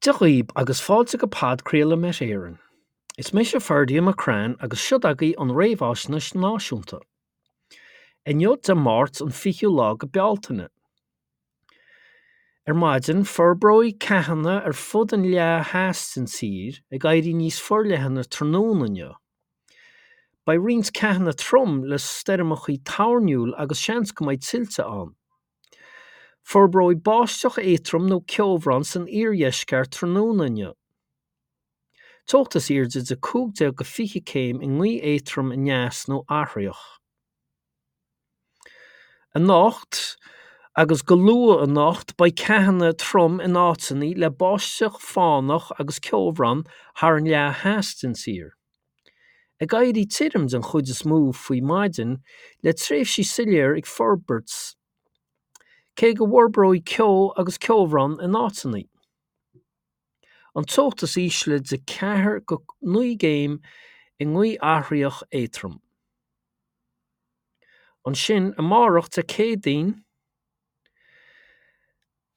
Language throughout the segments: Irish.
Dia dhaoib agus fáilte go podchraoladh Met Éireann. Is mise Ferdia McCrann agus siod agaibh an réamhaisnéis náisiúnta. Inniu Dé Máirt an 20ú lá go Bealtaine. Ar maidin, forbróidh ceathanna ar fud an leath theas den tír, ag éirí níos forleithne tráthnóna inniu. Beidh roinnt ceathanna trom le stoirmeacha toirniúil agus seans go mbeidh tuilte ann. Forbróidh báisteach éadrom nó ceobhrán san iardheisceart tráthnóna inniu. Teocht is airde de 15 go 20 céim i ngaoth éadrom aneas nó athraitheach. Anocht agus go luath anocht beidh ceathanna trom in áiteanna le báisteach fánach agus ceobhrán thar an leath theas den tír. Ag éirí tirim den chuid is mó faoi maidin, le tréimhsí soiléir ag forbairt, cé go bhforbróidh ceo agus ceobhrán in áiteanna. An teocht is ísle de 4 go 9 gcéim i ngaoth athraitheach éadrom. Ansin amárach Dé Céadaoin,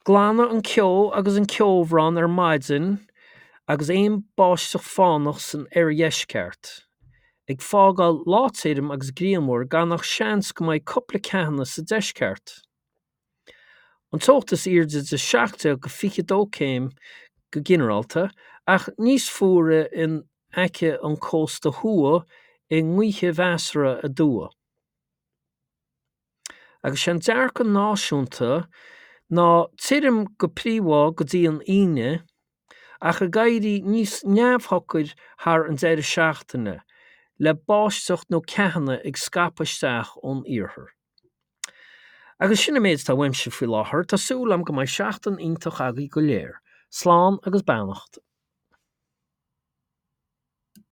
Glanfaidh an ceo agus an ceobhrán ar maidin agus aon báisteach fánach san oirdheisceart, ag fágáil lá tirim agus grianmhar gan ach seans go mbeidh cúpla ceathanna sa deisceart. An teocht is airde de 17 go 22 céim go ginearálta, ach níos fuaire in aice an cósta thuaidh i ngaotha mheasartha aduaidh. Agus sé an dearcadh náisiúnta ná tirim go príomha go dtí an Aoine, ach ag éirí níos neamhshocair thar an deireadh seachtaine, le báisteach nó ceathanna ag scaipeadh isteach ón iarthar. Agus sin an méid atá uaimse faoi láthair, tá súil agam go mbeidh seachtain iontach agaibh go léir. Slán agus beannacht.